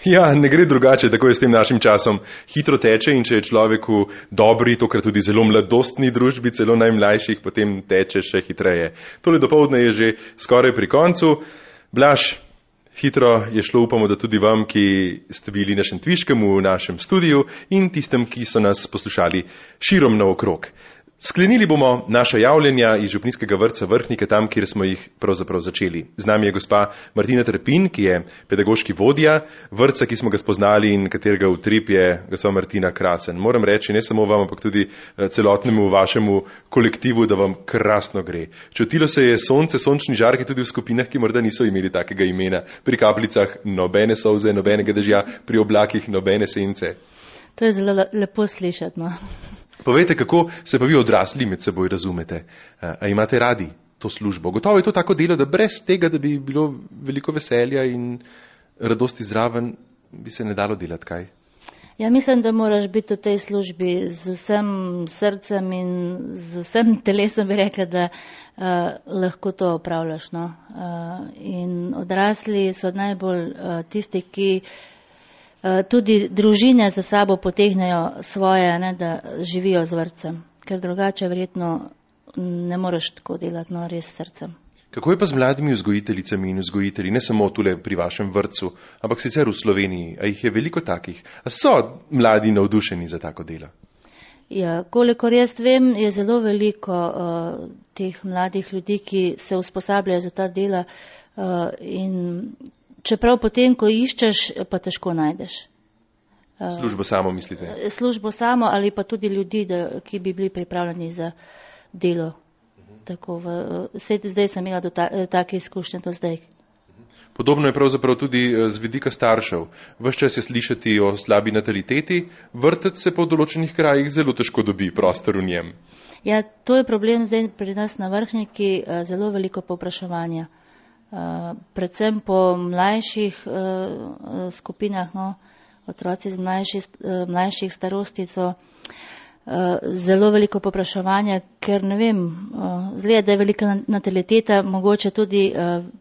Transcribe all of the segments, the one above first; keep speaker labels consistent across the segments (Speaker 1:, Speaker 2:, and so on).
Speaker 1: Ja, ne gre drugače, tako je s tem našim časom. Hitro teče in če je človeku dobri, tokrat tudi zelo mladostni družbi, celo najmlajših, potem teče še hitreje. Tole dopoldne je že skoraj pri koncu. Blaž, hitro je šlo, upamo, da tudi vam, ki ste bili na Šentviškem v našem studiu in tistem, ki so nas poslušali širom naokrog. Sklenili bomo naša javljanja iz Župnijskega vrtca Vrhnike, tam, kjer smo jih pravzaprav začeli. Z nami je gospa Martina Trepin, ki je pedagoški vodja vrtca, ki smo ga spoznali in katerega utrip je gospa Martina krasen. Moram reči, ne samo vam, ampak tudi celotnemu vašemu kolektivu, da vam krasno gre. Čutilo se je sonce, sončni žarki tudi v skupinah, ki morda niso imeli takega imena. Pri kapljicah nobene solze, nobenega dežja, pri oblakih nobene sence.
Speaker 2: To je zelo lepo slišati, no.
Speaker 1: Povejte, kako se pa vi odrasli med seboj razumete? A imate radi to službo? Gotovo je to tako delo, da brez tega, da bi bilo veliko veselja in radosti zraven, bi se ne dalo delati, kaj?
Speaker 2: Ja, mislim, da moraš biti v tej službi z vsem srcem in z vsem telesom, bi rekla, da lahko to opravljaš, no. In odrasli so najbolj tisti, ki tudi družine za sabo potegnejo svoje, ne, da živijo z vrtcem, ker drugače verjetno ne moreš tako delati, no, res s srcem.
Speaker 1: Kako je pa z mladimi vzgojiteljicami in vzgojitelji, ne samo tule pri vašem vrtcu, ampak sicer v Sloveniji? A jih je veliko takih? A so mladi navdušeni za tako delo?
Speaker 2: Ja, kolikor jaz vem, je zelo veliko teh mladih ljudi, ki se usposabljajo za ta dela in čeprav potem, ko iščeš, pa težko najdeš.
Speaker 1: Službo samo, mislite?
Speaker 2: Službo samo ali pa tudi ljudi, ki bi bili pripravljeni za delo. Tako zdaj sem imela take izkušnje do zdaj.
Speaker 1: Podobno je pravzaprav tudi z vidika staršev. Ves čas je slišati o slabi nataliteti, vrtec se po določenih krajih zelo težko dobi prostor v njem.
Speaker 2: Ja, to je problem zdaj pri nas na Vrhniki, zelo veliko povpraševanja. Predvsem po mlajših skupinah, no, otroci z mlajših starosti so zelo veliko popraševanja, ker ne vem, zgleda, da je velika nataliteta, mogoče tudi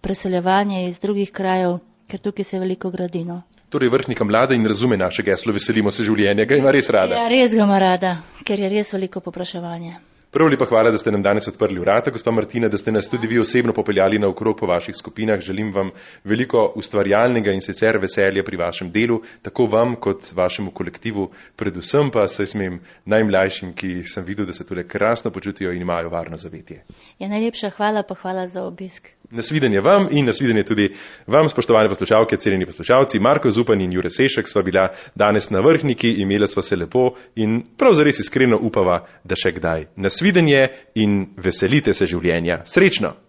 Speaker 2: preseljevanje iz drugih krajev, ker tukaj se veliko gradi, no.
Speaker 1: Torej Vrhnika mlada in razume naše geslo, veselimo se življenja, ga ima res rada.
Speaker 2: Ja, res ga ima rada, ker je res veliko popraševanje.
Speaker 1: Prav lepa hvala, da ste nam danes odprli vrata, gospa Martina, da ste nas tudi vi osebno popeljali naokrog po vaših skupinah. Želim vam veliko ustvarjalnega in sicer veselja pri vašem delu, tako vam kot vašemu kolektivu, predvsem pa se smem najmlajšim, ki sem videl, da se tule krasno počutijo in imajo varno zavetje.
Speaker 2: Ja, najlepša hvala, pa hvala za obisk.
Speaker 1: Nasvidenje vam in nasvidenje tudi vam, spoštovane poslušalke, cenjeni poslušalci. Marko Zupan in Jure Sešek sva bila danes na Vrhniki, imela sva se lepo in prav zares iskreno upava, da še kdaj. Nasvidenje in veselite se življenja. Srečno!